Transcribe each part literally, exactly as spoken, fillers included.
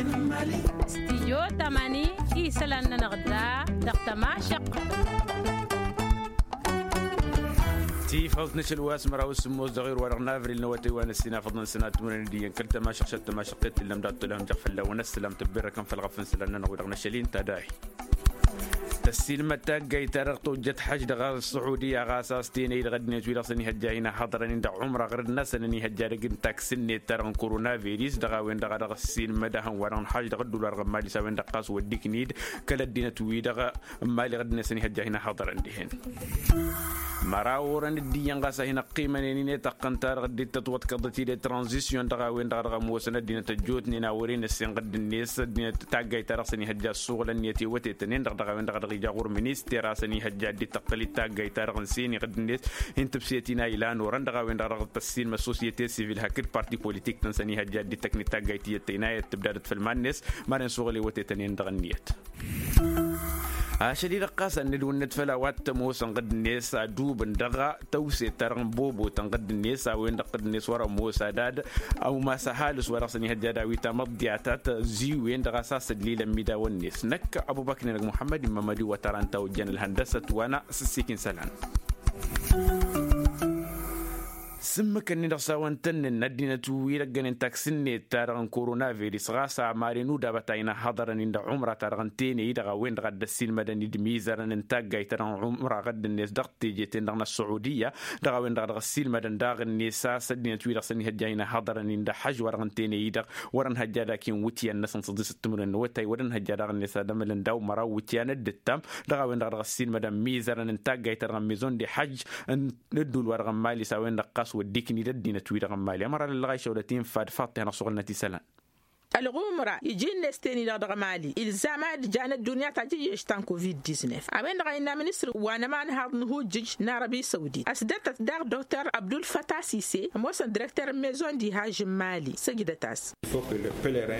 Stijyo tamani isălan-nănăɣ da dăɣ-tămašăq. Tifăḍt n-ašăl wa s-măraw s-sǝmmos dăɣ-irwa dăɣ-navril n-awătay wa n-ăssinafăḍ n-sănat timǝrăn d-iyyăn kăl-tămašăq šăt tămašăq i-t-illa ămdaɣ tălhăm jaɣ fălla-wăn ăssălam tăbbirrăkăn făll-ɣăf n-isălan-nănăɣ wi-dăɣ n-ašăl-in tadayt. Tăssiilmăd taggayt-ta-dăɣ tojjăt xăj dăɣ-ăṣṣuḥudiya ɣas a-s tenăy-i dăɣ-ăddinăt-wi-dăɣ s-ănihăjja hin-ăhhăḍărăn-in dăɣ-umra ɣǝrǝd-năsăn ănihăjja dăgg-n taksǝnnet-ta-dăɣ n-korona viris dăɣ-a-wen-dăɣ a dăɣ-ăssiilmăd ahăn wa dăɣ-nǝxaš dăɣ-ǝddul wa dăɣ-ămmal-i s-a-wen-dăɣ ɣas wădda iknid kăl-ăddinăt-wi-dăɣ ămmal iɣǝd-net ănihăjja hin-ăhhăḍărăn dihen. Măraw orăn dd-iyyăn ɣas a hin-ăqqimănen inetaqqăn-ta-dăɣ dd-tătwăḍkăḍăt-dd tranzisyon dăɣ-a-wen-dăɣ dăɣ-ămoosăn ăddinăt ăjjootnen a wăren ăssinɣăd-net ăddinăt taggayt-ta-dăɣ s-ănihăjja ăssuɣǝlăn-net i-wătetăn-en-dăɣ dăɣ-a-wen-dăɣ dăɣ-ija ɣur-minister a-s ănihăjja dd-tăqqǝl-dd taggayt-ta-dăɣ n-seniɣăd-net hin-tǝbset-in a ilan orăn dăɣ-a-wen-dăɣ dăɣ-tăssiilmăd sosyete sivil hakd parti politik-tăn s-ănihăjja dd-tăknit taggayt tiyyăt tăynayăt tǝbdadăt făll-iman-net. Maren suɣǝl i-wătetăn-en-dăɣ ǝnniyăt. Ašăl-i-dăɣ ɣas ad-nǝdwǝnnăt făll-a-wa t-ămoosăn ɣǝdd-net adubǝn dăɣ-tăwset-ta-dăɣ n-bobotăn ɣǝdd-net a-wen-dăɣ ɣǝdd-net wăr-ămoos ad-ad-ăwmas ăhalǝs wa dăɣ-s ănihăjja ad-awi tamăḍḍiya ta tăziwen-dăɣ a-s a-s ăllilăn imidawăn-net năkk ăbubăknen dăgg-muḥămmăd immămăd-i wătaran ta ojjăn ălhăndăsăt wa n-asǝssikin isălan. Sǝmmǝkăn-in-dăɣ s-a-wăn tăn-nǝnna ăddinăt wi dăgg-ănen taksǝnnet-ta-dăɣ n-korona viris ɣas a maren udabăt a inăhhăḍărăn-in dăɣ-umra-ta-dăɣ n-teney-i-dăɣ a-wen-dăɣ a dd-ăssiilmădăn d-imizărăn n-taggayt-ta-dăɣ n-umra ɣǝdd-net dăɣ-teje-ten-dăɣ n-ăssuɣudiya dăɣ-a-wen-dăɣ a dăɣ-ăssiilmădăn daɣ-net a-s ăddinăt wi-dăɣ s-ănihăjja a inăhhăḍărăn-in dăɣ-hăžj wa dăɣ-n teney-i-dăɣ wăr-ănhăjja ad-ak-in iwǝtyan-năsăn s-ăḍisăt timǝrwen n-awătay wăr-ănhăjja daɣ-net ad-ămălăn daw-măraw iwǝtyan d-ǝttam dăɣ-a-wen-dăɣ a dăɣ-ăssiilmădăn mizărăn n-taggayt-ta-dăɣ n-mizon de hăjj n-ăddul wa dăɣ-ămmali s-a-wen-dăɣ ɣas wădda ikni d-ăddinăt-wi-dăɣ ămmali ămăra lăllăɣ a išăwlăt-in fad faḍt i-hanăɣ-suɣǝlnăt isălan. Ălɣumra iji-net ten-i-dăɣ dăɣ-emali ilzam ad-jan ăddunya tajǝyyešt ta n-covid-diznef a-wen-dăɣ a innă ministăr wa n-ămanhaḍ n-ihujjǝj n-arăbi săwdit ăsdătăt daɣ doktor abdulfăta sise ămoosăn direkter n-mezon d-ihaj n-mali săjdăt-as.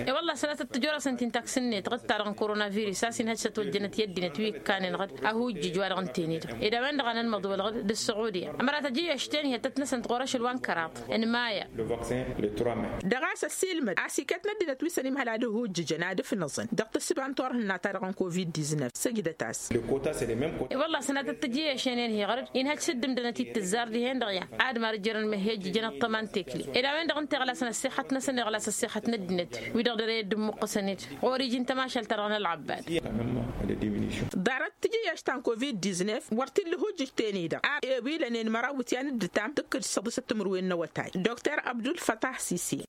I-wălla sănatăt tǝjorăsăn ti n-taksǝnnet ɣǝd-ta-dăɣ n-korona viris a-s inhăj s-ătwăjjănăt i-ăddinăt wi ǝkkanen ɣǝd ahujjǝj wa dăɣ-ǝnten-i-dăɣ ed a-wen-dăɣ a nănmăḍwăl ɣǝd d-ăssuɣudiya ămăra tăjǝyyešt ten-hi ăttăt-năsăn tɣur-ašăl wa n-kăraḍ n-maya. Dăɣ-a-s ăssiilmăd a-s iket n-ăddinăt wi s-ănimhăl ad-ăhujjǝjăn ad-ǝfnăẓăn dăɣ-tǝssǝba n-turhǝnna-ta-dăɣ n-covid-diznef săjdăt-as. I-wălla sănatăt tǝjǝyyešen-en hi-ɣărăd inhăj s-dd-ǝmdănăt-dd tǝzzar dihen-dăɣ i-ad-marǝjjărăn măhhejjǝjăn ăṭṭăma n-tekle ed a-wen-dăɣ ǝnta iɣlasăn ăssixăt-năsăn iɣlas ăssixăt n-ăddinăt wi-dăɣ dăr-e dd-ǝmmuqqǝsăn-dd ɣur-iji n-tămašalt-ta-dăɣ n-ălɣăbbad. Ḍarăt tǝjǝyyešt ta n-covid-diznef wăr t-illa ăhujjǝj ten-i-dăɣ a ewilănen măraw iwǝtyan d-ǝttam tǝkkǝd s-ăḍisăt timǝrwen n-awătay doktor abdulfătah sise.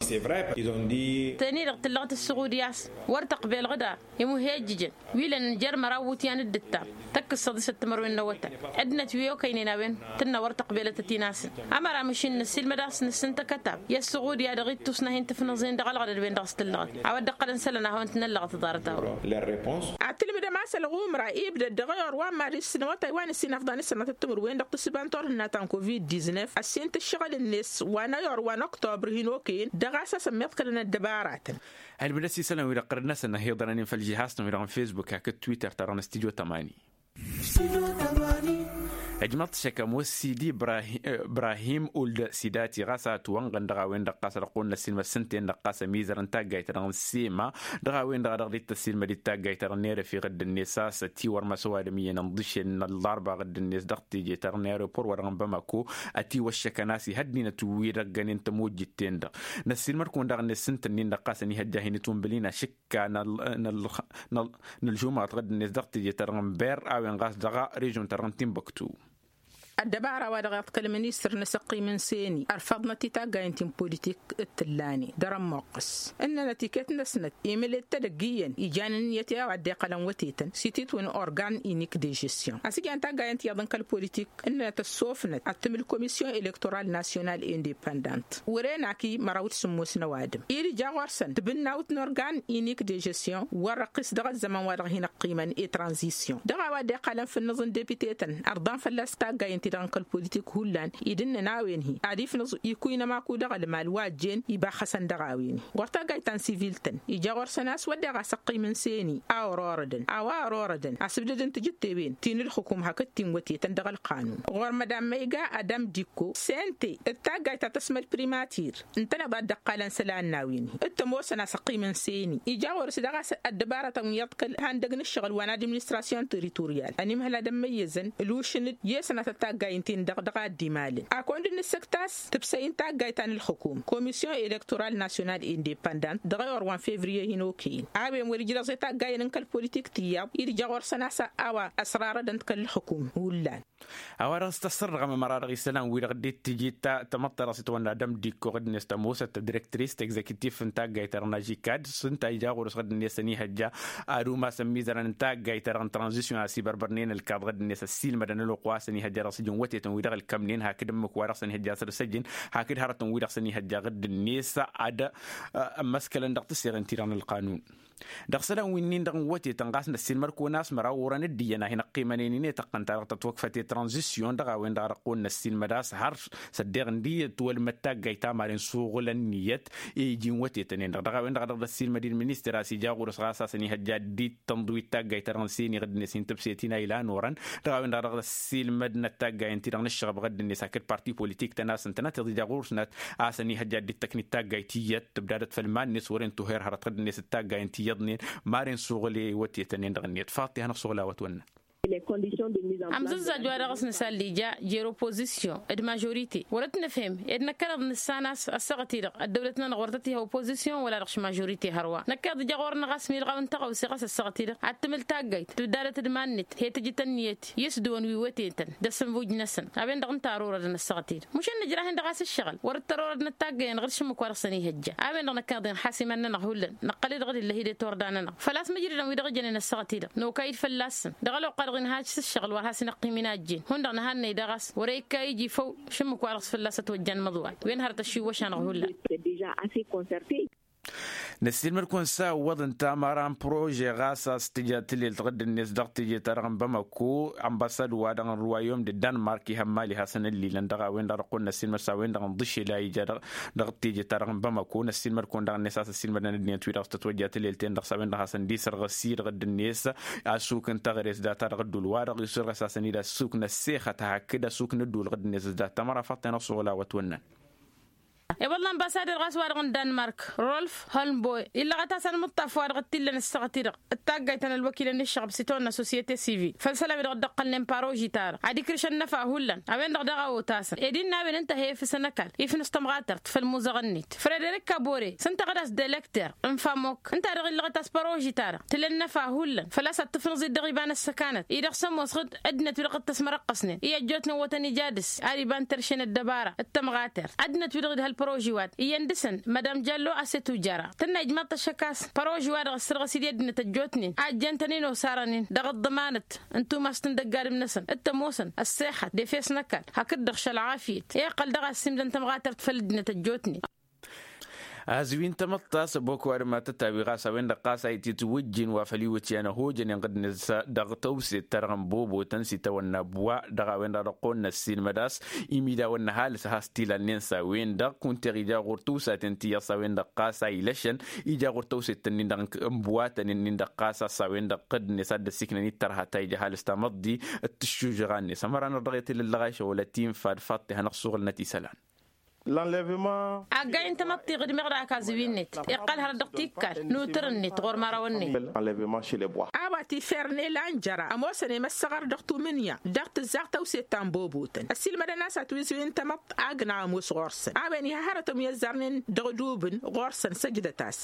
Ten-i-dăɣ tǝllăɣăt ăssuɣudya a-s wăr tăqbel ɣǝdar imuhejjǝjăn wi lănen jer-măraw iwǝtyan d-ǝttam tăkk-s săḍisăt timărwen n-awătay. Ăddinăt wi okăynen a-wen tǝnnă wăr tăqbelătăt-in a-săn. Ămăra măšin năssiilmăd a-s nǝssǝntăkăt a-wen i-ăssuɣudya dăɣ-ittus n-ad-hin-tǝfnăẓen dăɣ-ălɣădăd-wen-dăɣ s-tǝllăɣăt a-wa dd-ăqqălăn isălan ad-hawăn-tǝnăllăɣăt ḍarăt-a-wen. Ad-tǝlmǝdăm a-s ălɣumra ibdăd dăɣ-e-or wa n-maris n-awătay wa n-ǝssin afḍan s-sănatăt timǝrwen dăɣ-tǝssǝba n-turhǝnna ta n-covid-diznef ăssin-t ǝššăɣǝl-net wa n-e-or wa n-oktobr hin-okăyăn dăɣ-a-s a-s ămmiḍkălăn ăddăbaratăn. Ălmǝd ăssiisălăn wi-dăɣ ɣărăd-năsăn ăhiḍărăn-in făll-žihas-tăn wi-dăɣ n-fesbuk hakd twitter-ta-dăɣ n-studyo tămani. Ăjmăḍ-t šăkăm wăssid ibrahim old sidati ɣas a ătwănɣăn dăɣ-a-wen-dăɣ ɣas ad-ăqqun n-ăssiilmăd s-ǝnta-en-dăɣ ɣas ămizărăn taggayt-ta-dăɣ n-sema dăɣ-a-wen-dăɣ a dăɣ-dd-tăssiilmăd d-taggayt-ta-dăɣ n-erăf iɣǝdd-net a-s ătiwărmăs ăwadǝm iyyăn ǝnḍǝšel n-ălḍarba iɣǝdd-net dăɣ-teje-ta-dăɣ n-aeropor wa dăɣ-n bamako. Ătiwăššăkăn a-s ihăddinăt wi-dăɣ ăggănen tămojjit-ten-dăɣ. Năssiilmăd-kăwăn daɣ-net s-ǝnta-nin-dăɣ ɣas ănihăjja hin-itwǝnbǝl-in ašǝkka n-ălžumaḍ ɣǝdd-net dăɣ-teje-ta-dăɣ n-ber a-wen ɣas dăɣ-režon-ta-dăɣ n-tinbăktu. Ăddăbara wa dăɣ-iḍkăl ministăr n-asăqqim n-seni ărfăḍnăt i-taggayen ti n-politik d-tǝllanen dăr-ămmuqqǝs ǝnnănăt iket-năsnăt imǝlet-tăd ăgg-iyyăn ijan ǝnniyăt i-a-wa dd-iqqălăn wătetăn s-ititwǝn organ inik de žestion a-s ijan taggayen tiyyăḍ n-kăl-politik ǝnnănăt ăssofnăt ad-tǝmǝl komisyon elektoral nasyonal independant wăren ak-i măraw d-sǝmmos n-ăwadǝm-i d-ija ɣur-săn tibǝnnawt n-organ inik de žestion wăr-ăqqis dăɣ-ăzzăman wa dăɣ-hin-ăqqimăn i-tranzisyon dăɣ-a-wa dd-iqqălăn fǝnnǝẓ n-depitetăn ărḍan fălla-s taggayen ti-dăɣ n-kăl-politik hullan idǝnnăn a-wen-hi ad-ifnǝẓ ikuynăm aku dăɣ-ălmal wa ăjjeen ibaxxăsăn dăɣ-a-wen-hi. Ɣur-taggayt ta n-sivil-tăn ija ɣur-săn a-s wădden ɣas ăqqimăn s-e-ni a ărorădăn a-wa ărorădăn asǝbdăd n-tijǝttewen ti n-ǝlxǝkum hakd ti n-wătetăn dăɣ-ălqanun. Ɣur-mădan măyga adam dikko sente d-taggayt ta tăsmăl primatir ǝntăneḍ a dd-ăqqalăn isălan n-a-wen-hi d-tămoosăn a-s ăqqimăn s-e-ni ija ɣur-s daɣ a-s ăddăbarătăn wi iyyăḍ kăl-ihăndăg n-ǝššăɣǝl wa n-administrasyon teritorial ănimhăl ad-ămmăyyăzăn ǝlušăn-dd i-sănatăt taggayen-tin-dăɣ dăɣ-a dd-imalăn. Akăwăn-dd nǝssǝkt a-s tǝbsăy n-taggayt ta n-ǝlxǝkum komisyon elektoral nasyonal indepandant dăɣ-ewăr wa n-fevriye hin-okăyăn a-wen wăr-ija dăɣ-s i-taggayen n-kăl-politik tiyyăḍ i-dd-ija ɣur-săn a-s a-wa ăsrarădăn-t kăl-ǝlxǝkum hullan. A-wa dăɣ-s tăssărrăɣăm ămăra dăɣ-isălan-wi-dăɣ dd-tǝjit tamăḍt-ta-dăɣ s-itwănna d-ămdikko ɣǝddǝnet tămoosăt tădirektris tăgzektif n-taggayt-ta-dăɣ n-ažikad s-ǝnta ija ɣur-s ɣǝddǝnet săn ihăjja ad-umasăn imizărăn n-taggayt-ta-dăɣ n-tranzisyon a-s ibărbărnen ălkaḍ ɣǝddǝnet ăssiilmădăn ălwăqq wa săn-ihăjja dăɣ-s ǝjǝn wătetăn-wi-dăɣ ălkămnen hakd ǝmmǝk wa dăɣ-săn ihăjja săr-săjjǝn hakd hărătăn-wi-dăɣ săn-ihăjja ɣǝddǝnet ad-ămmăskălăn dăɣ-tǝsseɣen-ti-dăɣ n-ălqanun. Dăɣ-isălan winnin-dăɣ n-wătetăn ɣas năssiilmăd-kăwăn a-s măraw orăn dd-iyyăn a hin-ăqqimănen-in i-tăqqăn-ta-dăɣ tătwăkfăt i-tranzisyon dăɣ-a-wen-dăɣ a dăɣ-kăwăn năssiilmăd a-s har s-ăddeɣ n-dd-iyyăt wălmăd taggayt ta maren suɣǝlăn n-iyyăt i-iji n-wătetăn-en-dăɣ dăɣ-a-wen-dăɣ a dăɣ-dd-ăssiilmăd-in ministăr a-s ija ɣur-s ɣas a-s ănihăjja dd-ittănḍǝw i-taggayt-ta-dăɣ n-seni ɣǝddǝnet hin-tǝbset-in a ilan orăn dăɣ-a-wen-dăɣ a dăɣ-dd-ăssiilmădnăt taggayen-ti-dăɣ n-ǝššăɣăb ɣǝddǝnet hakd parti politik-tăn a-s ǝntănăt iḍija ɣur-snăt a-s ănihăjja dd-tăknit taggayt tiyyăt tǝbdadăt făll-iman-net wăren tuher hărăt ɣǝddǝnet d-taggayen ti iyyăḍnen maren suɣǝl i-wătetăn-en-dăɣ-net faḍt i-hanăɣ-suɣǝl a-wa ătwănnăn. Amzǝzzaj wa dăɣ-s nǝsallija jer-opozisyon d-mažorite wăr-ătnăfhem ed năkkăneḍ nǝssan a-s ăssaɣăt-i-dăɣ ăddăwlăt-nănăɣ wăr tăt-iha opozisyon wăla dăɣ-s mažorite hărwa năkk iḍǝjja ɣur-năɣ a-s milɣaw n-tăɣawse ɣas ăssaɣăt-i-dăɣ ad-tǝmǝl taggayt tǝbdadăt d-iman-net he-tǝjǝt ǝnniyăt i-s dăɣ-wăn wi wătetăn d-asǝnvuj-năsăn a-wen-dăɣ ǝnta ărorădăn ăssaɣăt-i-dăɣ mušan nǝjrah-in dăɣ-a-s ǝššăɣǝl wăr dd-tărorădnăt taggayen ɣur-s ǝmmǝk wa dăɣ-săn ihăjja a-wen-dăɣ năkk iḍǝn ḥasimăn-nănăɣ hullan năqqăl-dd ɣǝd illăh-i d-iturda-nănăɣ făl-a-s mǝjrǝdăn wi-dăɣ jănen ăssaɣăt-i-dăɣ nokay-dd fălla-săn dăɣ-ălwăqq-a-dăɣ inhaj s-ǝššăɣǝl wăr has-in-ăqqim inajjen hundăɣ nǝhannăy daɣ a-s wăr-e ikka iji făw šǝmmǝk wa dăɣ-s fălla-s ătwăjjan imǝḍwal wen hărăt ăššiwwăš-anăɣ hullan. Năssiilmăd-kăwăn s-a ǝwwăḍ ǝnta ămăra n-prože ɣas a-s tǝja tǝlelt ɣǝdd-net dăɣ-teje-ta-dăɣ n-bamăko ănbăsad-wa-dăɣ n-ruwayom d-danmark ihămmal-i hasăn-ăllilăn dăɣ-a-wen-dăɣ dăɣ-kăwăn-năssiilmăd s-a-wen-dăɣ n-iḍǝšel a ija dăɣ-teje-ta-dăɣ n-bamăko năssiilmăd-kăwăn daɣ-net a-s ăssiilmădăn ăddinăt-wi-dăɣ s-tătwăjja tǝlelt-en-dăɣ s-a-wen-dăɣ hasăn-dd-isărɣăs-i-dăɣ ăddinăt asuk n-taɣres data-dăɣ ăddul wa-dăɣ isǝrɣǝs hasăn-dd asuk n-ăssexăt hakd asuk n-ăddul ɣǝdd-net s-dat tămăra faḍt-en-dăɣ s-oɣǝl a-wăt wănnăn. Iwăḍlan basader ɣas wa-dăɣ n-danmark rolf holmboy illăɣăt-as anmǝṭṭaf wa-dăɣ t-illăn ăssaɣăt-i-dăɣ d-taggayt ta n-ălwăkilăn n-ǝššăɣăb s-itawănna sosiyete sivil făll-isălan-wi-dăɣ dd-ǝqqălnen paroži-ta-dăɣ ad-ikrǝš ănnăfa hullan a-wen-dăɣ daɣ a otasăn ed innă a-wen ǝnta he-efǝsăn ăkall ifnǝs tămɣatărt făll-imuzăɣăn-net frederik kabore s-ǝnta ɣǝd-as d-elekter n-famok ǝnta-dăɣ illăɣăt-as paroži-ta-dăɣ tǝla ănnăfa hullan făl-a-s ad-tǝfnǝẓ-dd dăɣ-iba n-ăssăkanăt-i-dăɣ s-ămoos ɣǝd ăddinăt-wi-dăɣ dd-tăsmărăqqăsnen i-ăjjootnen wătăn ija dăr-s ad-iba n-terše n-ăddăbara d-tămɣatert ăddinăt-wi-dăɣ idha ălproži wa-dăɣ iyyăn dăɣ-săn madam jallo a-s i-tujjăra tǝnna ijmaḍ-t ăššăk a-s proži wa-dăɣ ăssărɣăs-dd i-ăddinăt ăjjootnen a ăjjeen-tăn-in osarăn-in dăɣ-ăḍḍămanăt n-tumast n-dăgg-adǝm-năsăn d-tămoosăn ăssexăt d-efes n-ăkall hakd-dăɣ šălɣafyăt i-iqqăl dăɣ-a ăssiimdăn tămɣatert făll-ăddinăt ăjjootnen. Azǝwin tamăḍt ta s-ăbok ăwadǝm a tătawi ɣas a-wen-dăɣ ɣas a ititwǝjjin wa făll-iwǝtyan ăhojănen ɣǝdnet dăɣ-tăwset-ta-dăɣ n-bobotăn s-itawănna ăbwa dăɣ-a-wen-dăɣ dăɣ-kăwăn-năssiilmăd a-s imidawăn n-ăhalǝs a has-t-ilalnen s-a-wen-dăɣ kunteɣ ija ɣur-tăwsa ten-ti iyyăḍ s-a-wen-dăɣ ɣas a ilăšăn ija ɣur-tăwset-nin-dăɣ n-bwatăn-in-dăɣ ɣas a-s a-wen-dăɣ ɣǝdnet ad-dd-ăsiknăn i-dd-tărha ta ija ăhalǝs tamăḍt-di d-tǝššužăɣa-net ămăra-năɣ dăɣ-e-tǝlǝllăɣ ašăwălăt infa d-faḍt-i hanăɣ-suɣǝlnăt isălan. Aggay n-tamăḍt-i ɣǝdmeɣ dăɣ-ak azǝwi-net iqqăl hărăt dăɣ-tikkal n-utǝr-net ɣur-imărawăn-net. A-wa tifern elan jăra ămoosăn i-măssăɣăr dăɣ-tumǝnya dăɣ-tǝzzaɣ tăwset ta n-bobotăn ăssiilmădăn a-s ătwǝzǝwin tamăḍt agna ămoos ɣur-săn a-wen iha hărătăn wi ăzzarnen dăɣ-dubǝn ɣur-săn săjdăt-as.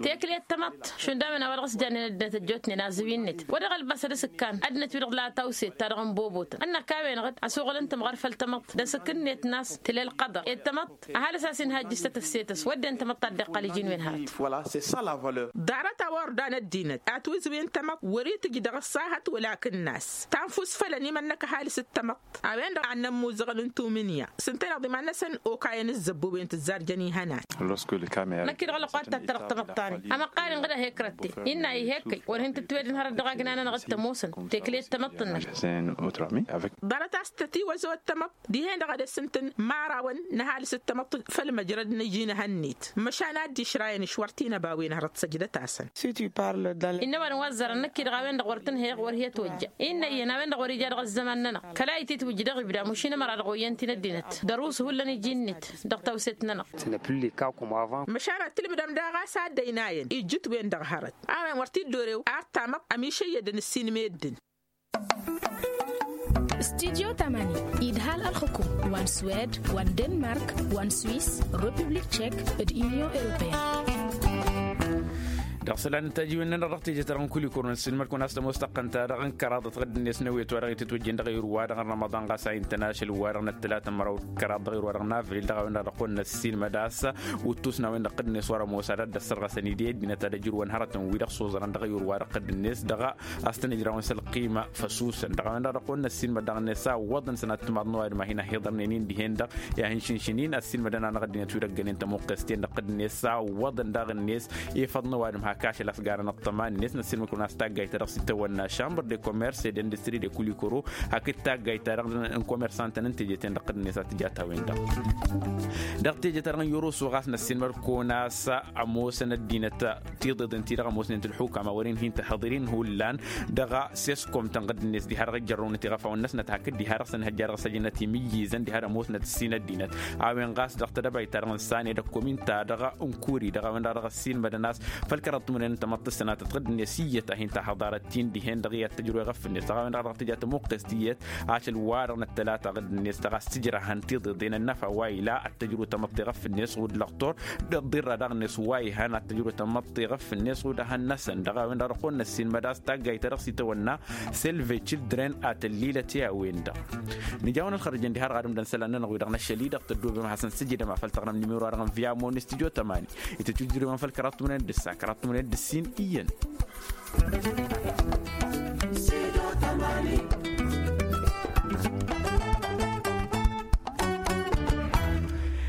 Teklet tamăḍt šund a-wen a-wa dăɣ-s jannen ăddinăt ăjjootnen azǝwi-net wa dăɣ-ălbăsăd asǝkkan ăddinăt wi-dăɣ la tawset ta dăɣ-n bobotăn ănnăk a-wen-dăɣ ăsoɣălăn tămɣăr făll-tamăḍt d-asǝkkǝnnet n-a-s tǝlel. Qăḍăr ed tamăḍt ăhalǝs a-s inhajjǝs tetăfse-tăs wădden tamăḍt ta dd-iqqăl iji n-wen hărăt. Ḍarăt a-wa ordan ăddinăt atwǝzwǝyăn tamăḍt wăr-itǝjj dăɣ-ăṣṣahăt wăla akǝnnas tanfus făll-ănimănnăk ăhalǝs d-tamăḍt a-wen-dăɣ a ănnămmuzăɣăn n-tumǝnǝya s-ǝntăneḍ iman-năsăn okayăn ǝzzăbbuwen tǝzzarjăn ihănan. Năkk-i-dăɣ ălwăqq ad-tattărăɣ tamăḍt-ta-ni amăqqal-in ɣǝd-ăhek rătte innă ih'-ekkăy wăr hin-tǝtwedăn hărăt dăɣ-agna-nănăɣ d-tămoosăn tekle d-tamăḍt-nănăɣ. Ḍarăt a-s tătiwăzăwăt tamăḍt dihen-dăɣ ad-ăssǝntăn imărawăn n-ăhalǝs d-tamăḍt făll-măjrăd n-iji n-ehăn-net măšan ad-dd-išrayăn išwăr tinăbawen hărăt săjdăt-asăn. Innă ăwadǝm wa ăzzarăn năkk-i-dăɣ a-wen-dăɣ wăr tǝnhăyăɣ wăr hi-ătwăjja innă iyyăn a-wen-dăɣ wăr-ija dăɣ-ăzzăman-nănăɣ kăla ititwǝjja dăɣ-ibda mušin ămăra dăɣ-oyyăn ti n-ăddinăt dăr-usǝhullăn iji-net dăɣ-tawset-nănăɣ. Măšan ad-tǝlmǝdăm daɣ a-s ad-ăynayăn ijjǝtwen dăɣ-hărăt a-wen wăr t-dd-orew ar tamăḍt ămišăyyădăn ǝssin meddǝn. Studyo tamani idhal ălxukum wa n-swed wa n-denmark wa n-swis, republik tšek d-unyon europeyăn. Dăɣ-isălan n-tajiwen-nănăɣ dăɣ-teje-ta-dăɣ n-kulikor n-ăssiilmăd-kăwăn a-s tămoos taqqăn-ta-dăɣ n-kăraḍăt ɣǝdd-net n-ewet wa dăɣ-itǝtwăjjen dăɣ-ayǝr-wa-dăɣ n-rămăḍan ɣas a intăn ašăl-wa-dăɣ n-ăttălatăn măraw d-kăraḍ dăɣ-ayǝr-wa-dăɣ n-avril dăɣ-a-wen-dăɣ dăɣ-kăwăn-năssiilmăd a-s wǝttus n-a-wen-dăɣ ɣǝdd-net wa rămoos ad-dd-ăssărɣăsăn idăy ăddinăt ad-ăjrǝwăn hărătăn-wi-dăɣ s-oẓărăn dăɣ-ayǝr-wa-dăɣ ɣǝdd-net dăɣ-a-s tăn-ǝjrawăn s-ălqima făsusăn dăɣ-a-wen-dăɣ dăɣ-kăwăn-năssiilmăd daɣ-net a ǝwwăḍăn sănat timaḍ n-ăwadǝm a hin-ăhhiḍărnen-in dihen-dăɣ i-ad-hin-šǝnšǝn-in ăssiilmădăn-anăɣ ăddinăt wi dăgg-ănen tămuqqes-ten-dăɣ ɣǝdd-net a ǝwwăḍăn daɣ-net efăḍ n-ăwadǝm hak ašăl a-s garăn ăṭṭăma-net năssiilmăd-kăwăn a-s taggayt-ta-dăɣ s-itawănna chambre de commerce et d'industrie de kulikoro hakd taggayt-ta-dăɣ n-komersantăn n-teje-ten-dăɣ ɣǝdd-net a tǝja ta-wen-dăɣ. Dăɣ-teje-ta-dăɣ n-yoroso ɣas năssiilmăd-kăwăn a-s ămoosăn ăddinăt tiḍeḍen-ti-dăɣ ămoosnen-t ălxukam a wăren hin-tăhhăḍăr-in hullan dăɣ-seskom-tăn ɣǝdd-net diha-dăɣ ijărrăwnăt iɣăfawăn-năsnăt hakd diha-dăɣ săn ihăjja dăɣ-săjdăt imǝyyǝzăn diha d-ămoosnăt ǝssin ăddinăt a-wen ɣas dăɣ-tedăbayt-ta-dăɣ n-sane d-ăkkomin-ta-dăɣ n-kuri dăɣ-a-wen-dăɣ dăɣ-ăssiilmădăn a-s făll-kăraḍ timǝrwen n-tamăḍt s-sănatăt ɣǝdd-net iyyăt a hin-tahăḍarăt-in dihen-dăɣ i-ad-tăjrăw iɣăf-net dăɣ-a-wen-dăɣ dăɣ-tǝja tămuqqes tiyyăt ašăl-wa-dăɣ n-ăttălata ɣǝdd-net dăɣ-a-s tǝjrăhăn tiḍeḍen ănnăfa wa ila ad-tăjrăw tamăḍt iɣăf-net ɣud lăqtor d-ăḍḍirra daɣ-net wa ihan ad-tăjrăw tamăḍt iɣăf-net ɣud ehăn-năsăn dăɣ-a-wen-dăɣ dăɣ-kăwăn-năssiilmăd a-s taggayt-ta-dăɣ s-itawănna selve children ad-tăllilăt i-a-wen-dăɣ. Nǝja-wăn ălxărjăn diha-dăɣ ad-ǝmdăn isălan-nănăɣ wi-dăɣ năššăl-i-dăɣ tăddoobem ad-hasăn-sǝjǝdăm a făl taɣrăm nimero-wa-dăɣ n-viamo n-studyo tămani itǝtwǝjrǝwăn făll-kăraḍ timǝrwen d-ǝssa kăraḍ timǝrwen d-ǝssin iyyăn.